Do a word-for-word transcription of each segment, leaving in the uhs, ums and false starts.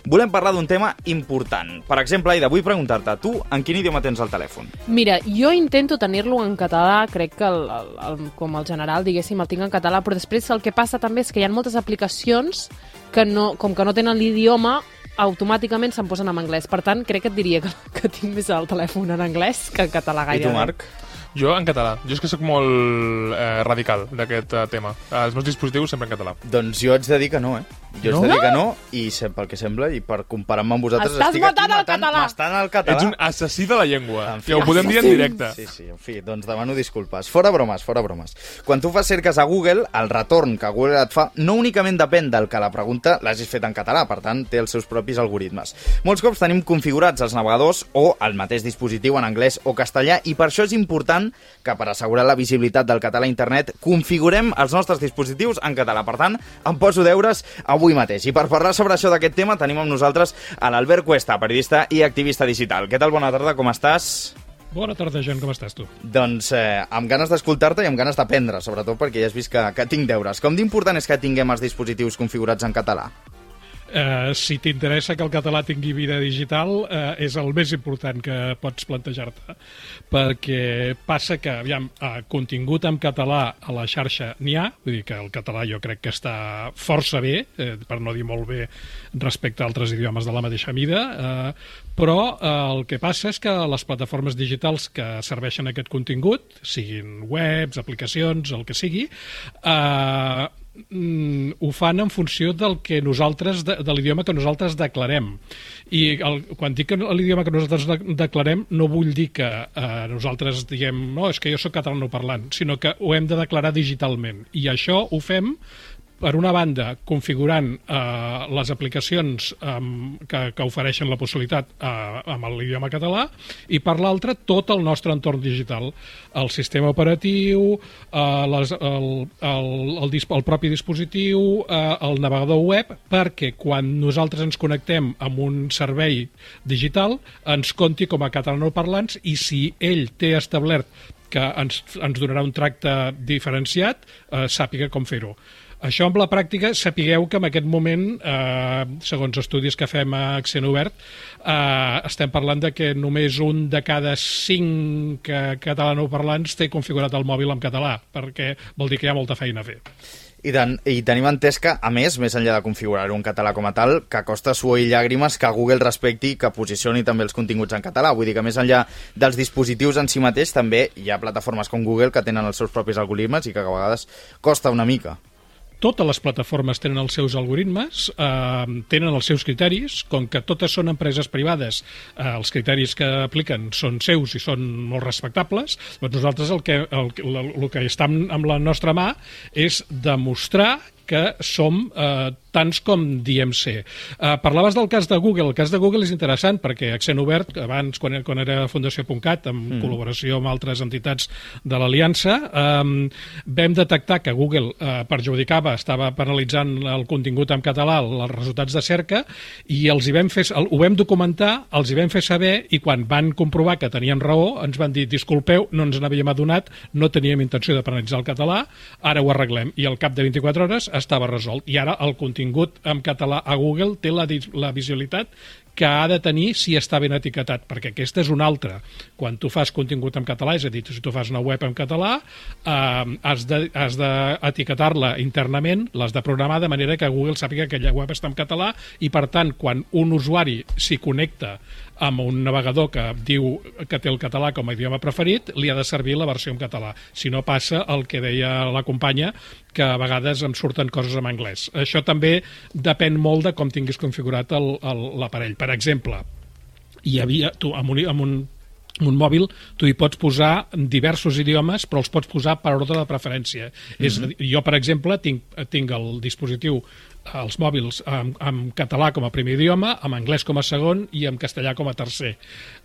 volem parlar d'un tema important. Per exemple, Aida, vull preguntar-te, tu en quin idioma tens el telèfon? Mira, jo intento tenir-lo en català, crec que el, el, el, com el general, diguéssim, el tinc en català, però després el que passa també és que hi ha moltes aplicacions que no, com que no tenen l'idioma, automàticament se'n posen en anglès. Per tant, crec que et diria que, que tinc més el telèfon en anglès que en català gairebé. I tu, Marc? Jo en català. Jo és que sóc molt eh, radical d'aquest uh, tema. Els meus dispositius sempre en català. Doncs jo haig de dir que no, eh? Jo no? haig de dir que no, i pel que sembla, i per comparar-me amb vosaltres... Estàs estic matant aquí el català! M'estan al català! Ets un assassí de la llengua. En fi, ja ho podem dir en directe. Sí, sí, en fi, doncs demano disculpes. Fora bromes, fora bromes. Quan tu fas cerques a Google, el retorn que Google et fa no únicament depèn del que la pregunta l'hagis fet en català, per tant, té els seus propis algoritmes. Molts cops tenim configurats els navegadors o el mateix dispositiu en anglès o castellà, i per això és important que per assegurar la visibilitat del català a internet configurem els nostres dispositius en català. Per tant, em poso deures avui mateix. I per parlar sobre això d'aquest tema tenim amb nosaltres a l'Albert Cuesta, periodista i activista digital. Què tal? Bona tarda, com estàs? Bona tarda, Jan, com estàs tu? Doncs eh, amb ganes d'escoltar-te i amb ganes d'aprendre, sobretot perquè ja has vist que, que tinc deures. Com d'important és que tinguem els dispositius configurats en català? Uh, si t'interessa que el català tingui vida digital, uh, és el més important que pots plantejar-te, perquè passa que, aviam, uh, contingut en català a la xarxa n'hi ha, vull dir que el català jo crec que està força bé, eh, per no dir molt bé respecte a altres idiomes de la mateixa mida, uh, però uh, el que passa és que les plataformes digitals que serveixen aquest contingut, siguin webs, aplicacions, el que sigui, eh, uh, ho fan en funció del que nosaltres, de, de l'idioma que nosaltres declarem. I el, quan dic l'idioma que nosaltres de, declarem, no vull dir que eh, nosaltres diguem, no, és que jo soc catalanoparlant, sinó que ho hem de declarar digitalment. I això ho fem, per una banda, configurant eh, les aplicacions eh, que, que ofereixen la possibilitat eh, amb l'idioma català, i per l'altra, tot el nostre entorn digital. El sistema operatiu, eh, les, el, el, el, el propi dispositiu, eh, el navegador web, perquè quan nosaltres ens connectem amb un servei digital, ens compti com a catalanoparlants, i si ell té establert que ens, ens donarà un tracte diferenciat, eh, sàpiga com fer-ho. Això, amb la pràctica, sapigueu que en aquest moment, eh, segons estudis que fem a Accent Obert, eh, estem parlant de que només un de cada cinc catalanoparlants té configurat el mòbil en català, perquè vol dir que hi ha molta feina a fer. I, ten, I tenim entès que, a més, més enllà de configurar-ho en català com a tal, que costa suor i llàgrimes que Google respecti i que posicioni també els continguts en català. Vull dir que més enllà dels dispositius en si mateix, també hi ha plataformes com Google que tenen els seus propis algoritmes i que a vegades costa una mica. Totes les plataformes tenen els seus algoritmes, eh, tenen els seus criteris, com que totes són empreses privades, eh, els criteris que apliquen són seus i són molt respectables, doncs nosaltres el que, el, el, el que està amb la nostra mà és demostrar que som eh, tants com diem ser. Eh, parlaves del cas de Google. El cas de Google és interessant perquè Accent Obert, abans, quan, quan era Fundació punt cat, en mm. col·laboració amb altres entitats de l'Aliança, eh, vam detectar que Google eh, perjudicava, estava penalitzant el contingut en català, els resultats de cerca, i els hi vam fer, ho vam documentar, els hi vam fer saber, i quan van comprovar que tenien raó, ens van dir, disculpeu, no ens n'havíem adonat, no teníem intenció de penalitzar el català, ara ho arreglem. I al cap de vint-i-quatre hores estava resolt. I ara el contingut en català a Google té la, la visibilitat que ha de tenir si està ben etiquetat, perquè aquesta és una altra. Quan tu fas contingut en català, és a dir, si tu fas una web en català, eh, has de, has d'etiquetar-la internament, l'has de programar de manera que Google sàpiga que aquella web està en català, i per tant, quan un usuari s'hi connecta amb un navegador que diu que té el català com a idioma preferit, li ha de servir la versió en català. Si no, passa el que deia la companya, que a vegades em surten coses en anglès. Això també depèn molt de com tinguis configurat l'aparell. Per exemple, hi havia, tu, amb un, amb un un mòbil, tu hi pots posar diversos idiomes, però els pots posar per ordre de preferència. Mm-hmm. És, jo, per exemple, tinc, tinc el dispositiu, els mòbils, en, en català com a primer idioma, en anglès com a segon i en castellà com a tercer.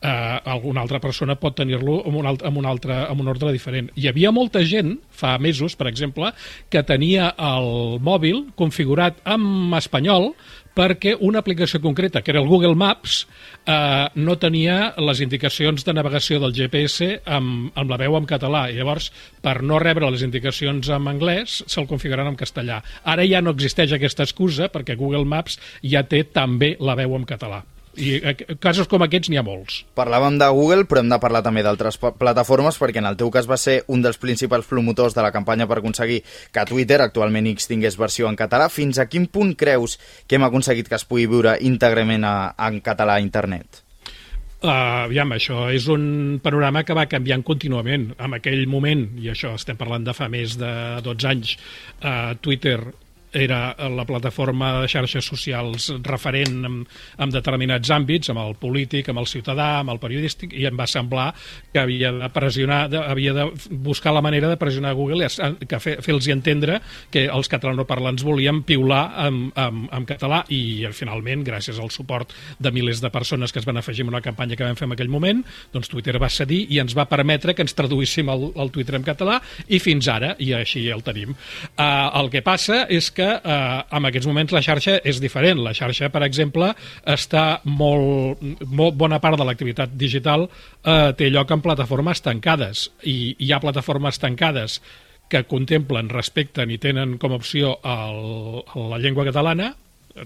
Eh, alguna altra persona pot tenir-lo en, un altre, en, un altre, en un ordre diferent. Hi havia molta gent, fa mesos, per exemple, que tenia el mòbil configurat en espanyol, perquè una aplicació concreta, que era el Google Maps, eh, no tenia les indicacions de navegació del G P S amb, amb la veu en català, i llavors, per no rebre les indicacions en anglès, se'l configuraran en castellà. Ara ja no existeix aquesta excusa, perquè Google Maps ja té també la veu en català. I casos com aquests n'hi ha molts. Parlàvem de Google, però hem de parlar també d'altres plataformes, perquè en el teu cas va ser un dels principals promotors de la campanya per aconseguir que Twitter, actualment X, tingués versió en català. Fins a quin punt creus que hem aconseguit que es pugui viure íntegrament a, en català a internet? Uh, aviam, això és un panorama que va canviant contínuament. En aquell moment, i això estem parlant de fa més de dotze anys, uh, Twitter era la plataforma de xarxes socials referent en, en determinats àmbits, amb el polític, amb el ciutadà, amb el periodístic, i em va semblar que havia de pressionar, de, havia de buscar la manera de pressionar Google, que fe, fer-los entendre que els catalanoparlants volien piular en, en, en català, i finalment, gràcies al suport de milers de persones que es van afegir en una campanya que vam fer en aquell moment, doncs Twitter va cedir i ens va permetre que ens traduíssim el, el Twitter en català, i fins ara, i així el tenim. Uh, el que passa és que que eh, en aquests moments la xarxa és diferent. La xarxa, per exemple, està molt, molt bona part de l'activitat digital eh, té lloc en plataformes tancades, i hi ha plataformes tancades que contemplen, respecten i tenen com a opció el, la llengua catalana,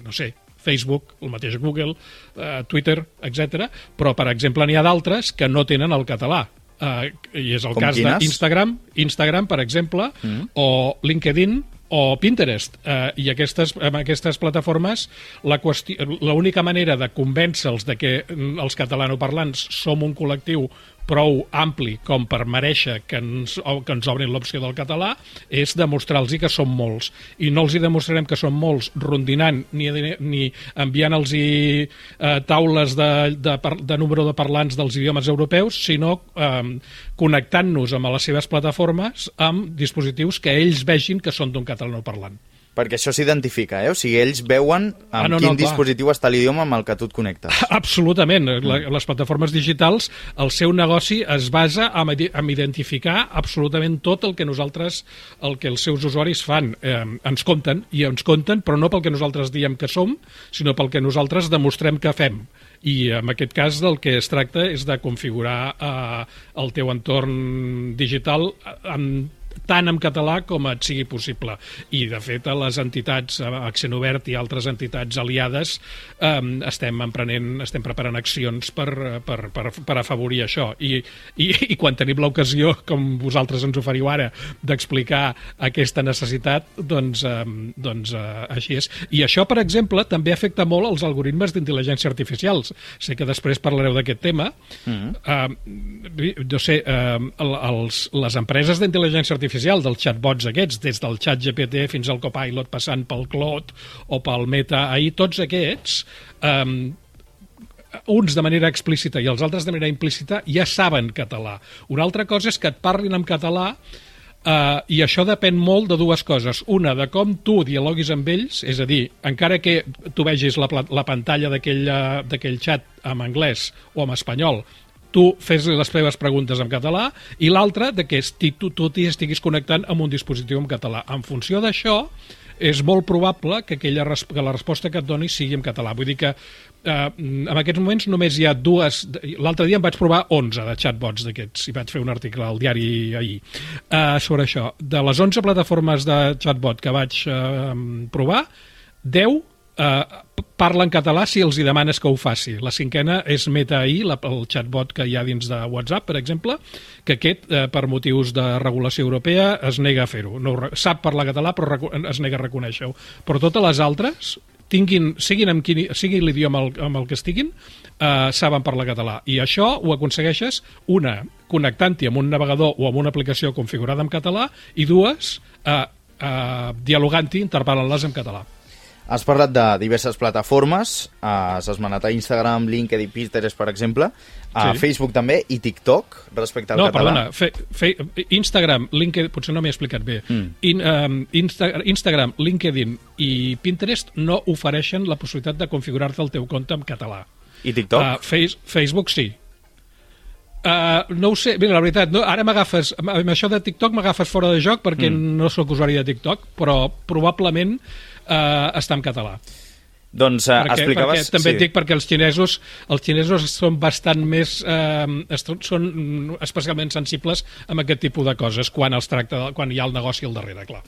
no sé, Facebook, el mateix Google, eh, Twitter, etcètera. Però, per exemple, n'hi ha d'altres que no tenen el català. Uh, i és el com cas quines? d'Instagram, Instagram, per exemple, mm. o LinkedIn, o Pinterest, eh, i aquestes, amb aquestes plataformes l'única manera de convèncer-los de que els catalanoparlants som un col·lectiu prou ampli com per mereixer que ens, que ens obrin l'opció del català és demostrar-los que som molts, i no els hi demostrarem que som molts rondinant ni, ni enviant-los eh, taules de, de, de número de parlants dels idiomes europeus, sinó eh, connectant-nos amb les seves plataformes amb dispositius que ells vegin que són d'un catalanoparlant. Perquè això s'identifica, eh? O sigui, ells veuen amb ah, no, quin no, dispositiu està l'idioma amb el que tu et connectes. Absolutament. Mm. Les plataformes digitals, el seu negoci es basa en, en identificar absolutament tot el que nosaltres, el que els seus usuaris fan. Eh, ens compten, i ens compten, però no pel que nosaltres diem que som, sinó pel que nosaltres demostrem que fem. I en aquest cas del que es tracta és de configurar eh, el teu entorn digital en tant en català com et sigui possible. I, de fet, a les entitats, Accent Obert i altres entitats aliades, eh, estem emprenent, estem preparant accions per, per, per, per afavorir això. I, i, i quan tenim l'ocasió, com vosaltres ens oferiu ara, d'explicar aquesta necessitat, doncs, eh, doncs eh, així és. I això, per exemple, també afecta molt els algoritmes d'intel·ligència artificials. Sé que després parlareu d'aquest tema. Mm-hmm. eh, no sé, eh, els, les empreses d'intel·ligència artificial dels chatbots aquests, des del xat G P T fins al Copilot, passant pel Claude o pel Meta A I, tots aquests, um, uns de manera explícita i els altres de manera implícita, ja saben català. Una altra cosa és que et parlin en català, uh, i això depèn molt de dues coses. Una, de com tu dialoguis amb ells, és a dir, encara que tu vegis la, la pantalla d'aquell xat en anglès o en espanyol, tu fes les teves preguntes en català, i l'altra, de que tu, tu t'hi estiguis connectant amb un dispositiu en català. En funció d'això, és molt probable que, aquella, que la resposta que et doni sigui en català. Vull dir que eh, en aquests moments només hi ha dues... L'altre dia em vaig provar onze de chatbots d'aquests, i vaig fer un article al diari ahir eh, sobre això. De les onze plataformes de chatbot que vaig eh, provar, deu eh, parla en català si els hi demanes que ho faci. La cinquena és Meta A I, la, el chatbot que hi ha dins de WhatsApp, per exemple, que aquest, eh, per motius de regulació europea, es nega a fer-ho. No, sap parlar català, però es nega a reconèixer-ho. Però totes les altres, tinguin, siguin amb quin, sigui l'idioma amb el que estiguin, eh, saben parlar català. I això ho aconsegueixes, una, connectant-hi amb un navegador o amb una aplicació configurada en català, i dues, eh, eh, dialogant-hi, interpel·lant-les en català. Has parlat de diverses plataformes, has esmenat a Instagram, LinkedIn, Pinterest, per exemple, a sí. Facebook també, i TikTok, respecte al no, català. No, perdona, fe, fe, Instagram, LinkedIn, potser no m'he explicat bé. Mm. In, um, Insta, Instagram, LinkedIn i Pinterest no ofereixen la possibilitat de configurar-te el teu compte en català. I TikTok? Uh, face, Facebook sí. Uh, no ho sé, bé, la veritat, no, ara m'agafes, amb això de TikTok m'agafes fora de joc perquè mm. no sóc usuari de TikTok, però probablement uh, està en català. Doncs uh, perquè, explicaves... Perquè, també sí. et dic perquè els xinesos, els xinesos són bastant més... Eh, són especialment sensibles amb aquest tipus de coses quan els tracta, quan hi ha el negoci al darrere, clar.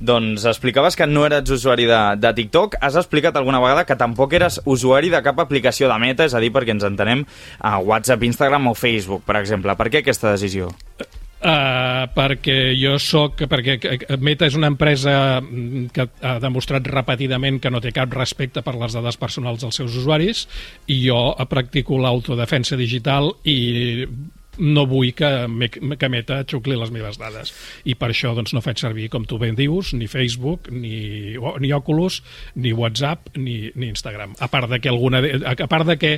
Doncs explicaves que no eres usuari de, de TikTok. Has explicat alguna vegada que tampoc eres usuari de cap aplicació de Meta, és a dir, perquè ens entenem a WhatsApp, Instagram o Facebook, per exemple. Per què aquesta decisió? Uh, perquè jo soc... Perquè Meta és una empresa que ha demostrat repetidament que no té cap respecte per les dades personals dels seus usuaris, i jo practico l'autodefensa digital i no vull que, que Meta xucli les meves dades. I per això doncs, no faig servir, com tu ben dius, ni Facebook, ni, ni Oculus, ni WhatsApp, ni, ni Instagram. A part de que alguna de, a part de que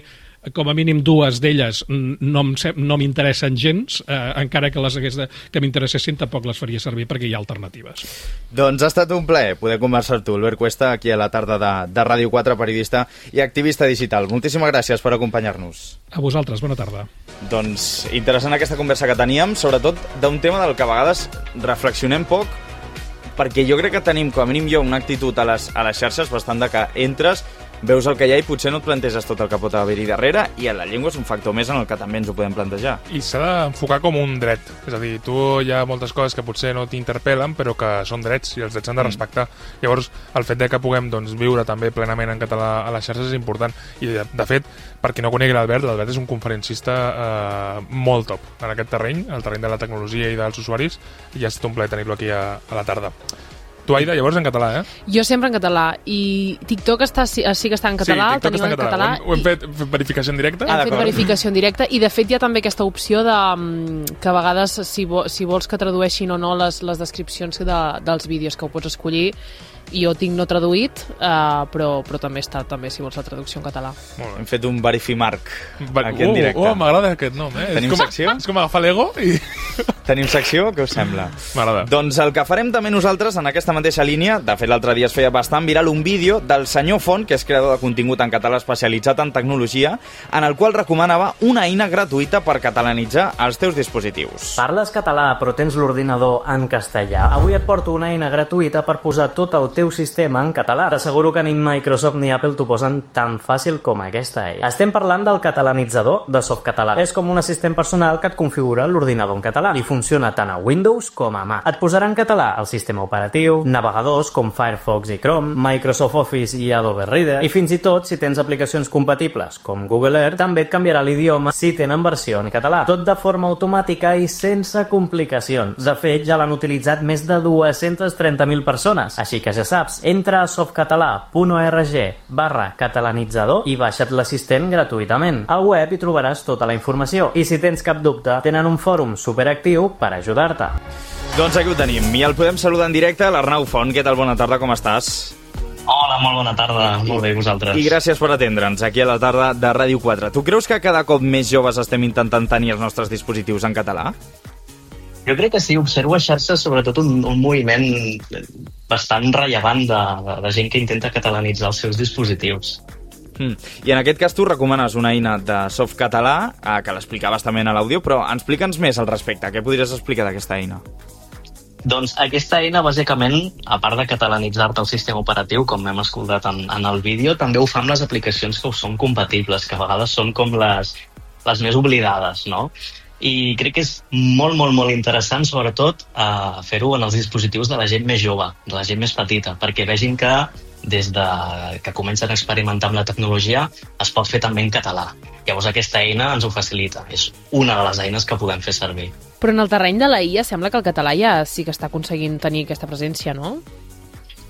com a mínim dues d'elles no, no m'interessen gens, eh, encara que les hagués de, que m'interessessin tampoc les faria servir perquè hi ha alternatives. Doncs ha estat un plaer poder conversar tu, Albert Cuesta, aquí a la tarda de, de Ràdio quatre, periodista i activista digital. Moltíssimes gràcies per acompanyar-nos. A vosaltres, bona tarda. Doncs interessant aquesta conversa que teníem, sobretot d'un tema del que a vegades reflexionem poc, perquè jo crec que tenim, com a mínim jo, una actitud a les, a les xarxes bastant de que entres, veus el que hi ha i potser no et planteges tot el que pot haver-hi darrere, i la llengua és un factor més en el que també ens ho podem plantejar. I s'ha d'enfocar com un dret. És a dir, tu hi ha moltes coses que potser no t'interpel·len, però que són drets, i els drets s'han de respectar. Mm. Llavors, el fet de que puguem doncs, viure també plenament en català a les xarxes és important. I, de, de fet, per qui no conegui l'Albert, l'Albert és un conferencista eh, molt top en aquest terreny, el terreny de la tecnologia i dels usuaris, i ha estat un plaer tenir-lo aquí a, a la tarda. Tu, Aida, llavors en català, eh? Jo sempre en català, i TikTok està, sí, sí que està en català, sí, TikTok està en català. català. Ho hem, ho hem fet verificació en directe? Hem ah, fet verificació en directe, i de fet hi ha també aquesta opció de que a vegades, si, vo, si vols que tradueixin o no les, les descripcions de, dels vídeos, que ho pots escollir. Jo tinc no traduït, uh, però, però també està, també, si vols, la traducció en català. Hem fet un verifimarc Bar aquí en directe. Oh, oh m'agrada aquest nom, eh? Tenim és com, secció? És com agafar l'ego i... Tenim secció? Què us sembla? M'agrada. Doncs el que farem també nosaltres en aquesta mateixa línia, de fet l'altre dia es feia bastant viral un vídeo del senyor Font, que és creador de contingut en català especialitzat en tecnologia, en el qual recomanava una eina gratuïta per catalanitzar els teus dispositius. Parles català però tens l'ordinador en castellà? Avui et porto una eina gratuïta per posar tot el teu sistema en català. T'asseguro que ni Microsoft ni Apple t'ho posen tan fàcil com aquesta eina. Estem parlant del catalanitzador de Softcatalà. És com un assistent personal que et configura l'ordinador en català i funciona tant a Windows com a Mac. Et posarà en català el sistema operatiu, navegadors com Firefox i Chrome, Microsoft Office i Adobe Reader, i fins i tot, si tens aplicacions compatibles com Google Earth, també et canviarà l'idioma si tenen versió en català. Tot de forma automàtica i sense complicacions. De fet, ja l'han utilitzat més de dues-centes trenta mil persones. Així que ja saps, entra a softcatalà punt org barra catalanitzador i baixa't l'assistent gratuïtament. Al web hi trobaràs tota la informació i si tens cap dubte, tenen un fòrum superactiu per ajudar-te. Doncs aquí ho tenim, i el podem saludar en directe, l'Arnau Font. Què tal? Bona tarda, com estàs? Hola, molt bona tarda, molt bé, vosaltres. I gràcies per atendre'ns aquí a la tarda de Ràdio quatre. Tu creus que cada cop més joves estem intentant tenir els nostres dispositius en català? Jo crec que sí, observo a xarxes sobretot un, un moviment bastant rellevant de, de, de gent que intenta catalanitzar els seus dispositius. Mm. I en aquest cas tu recomanes una eina de Softcatalà, eh, que l'explicaves també a l'àudio, però explica'ns més al respecte. Què podries explicar d'aquesta eina? Doncs aquesta eina, bàsicament, a part de catalanitzar-te el sistema operatiu, com hem escoltat en, en el vídeo, també ho fa amb les aplicacions que ho són compatibles, que a vegades són com les, les més oblidades, no? I crec que és molt, molt, molt interessant, sobretot, eh, fer-ho en els dispositius de la gent més jove, de la gent més petita, perquè vegin que des de que comencen a experimentar amb la tecnologia es pot fer també en català. Llavors aquesta eina ens ho facilita. És una de les eines que podem fer servir. Però en el terreny de la I A sembla que el català ja sí que està aconseguint tenir aquesta presència, no?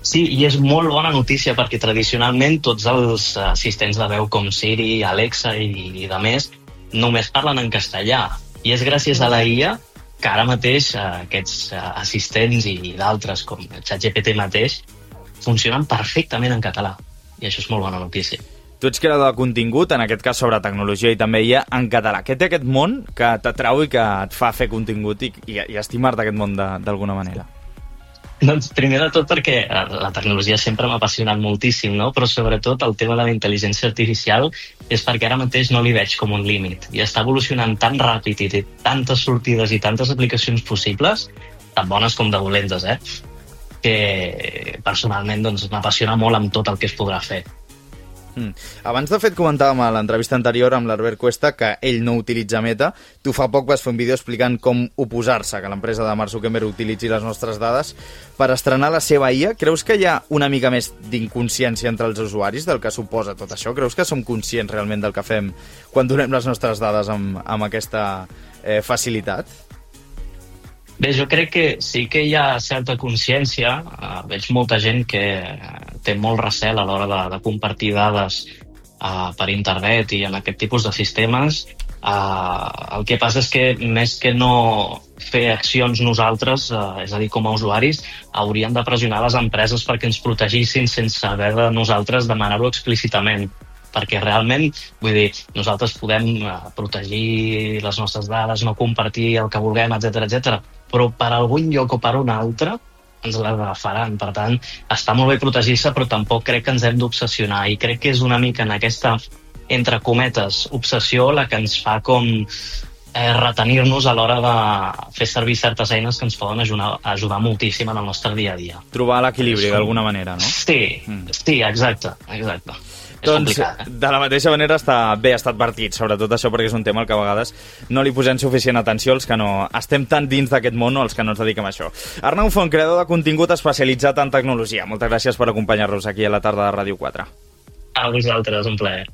Sí, i és molt bona notícia perquè tradicionalment tots els assistents de veu com Siri, Alexa i, i de més només parlen en castellà. I és gràcies a la I A que ara mateix eh, aquests eh, assistents i d'altres, com ChatGPT mateix, funcionen perfectament en català. I això és molt bona notícia. Tu ets creador de contingut, en aquest cas sobre tecnologia i també I A en català. Què té aquest món que t'atrau i que et fa fer contingut i, i, i estimar-te aquest món d'alguna manera? Doncs primer de tot perquè la tecnologia sempre m'ha apassionat moltíssim, no? Però sobretot el tema de la intel·ligència artificial és perquè ara mateix no li veig com un límit. I està evolucionant tan ràpid i té tantes sortides i tantes aplicacions possibles, tan bones com de dolentes, eh? Que personalment doncs, m'apassiona molt amb tot el que es podrà fer. Mm. Abans, de fet, comentàvem a l'entrevista anterior amb l'Albert Cuesta que ell no utilitza Meta. Tu fa poc vas fer un vídeo explicant com oposar-se que l'empresa de Mark Zuckerberg utilitzi les nostres dades per estrenar la seva I A. Creus que hi ha una mica més d'inconsciència entre els usuaris del que suposa tot això? Creus que som conscients realment del que fem quan donem les nostres dades amb, amb aquesta eh, facilitat? Bé, jo crec que sí que hi ha certa consciència. Uh, veig molta gent que té molt recel a l'hora de, de compartir dades uh, per internet i en aquest tipus de sistemes. Uh, el que passa és que més que no fer accions nosaltres, uh, és a dir, com a usuaris, hauríem de pressionar les empreses perquè ens protegissin sense haver de nosaltres demanar-ho explícitament. Perquè realment, vull dir, nosaltres podem uh, protegir les nostres dades, no compartir el que vulguem, etcètera, etcètera, però per algun lloc o per un altre ens l'agafaran. Per tant, està molt bé protegir-se, però tampoc crec que ens hem d'obsessionar. I crec que és una mica en aquesta, entre cometes, obsessió la que ens fa com eh, retenir-nos a l'hora de fer servir certes eines que ens poden ajudar, ajudar moltíssim en el nostre dia a dia. Trobar l'equilibri d'alguna manera, no? Sí, mm. sí, exacte, exacte. Doncs, de la mateixa manera, està bé estar advertit, sobretot això, perquè és un tema al que a vegades no li posem suficient atenció els que no estem tan dins d'aquest món o els que no ens dediquem a això. Arnau Font, creador de contingut especialitzat en tecnologia. Moltes gràcies per acompanyar-nos aquí a la tarda de Ràdio quatre. A vosaltres, un plaer.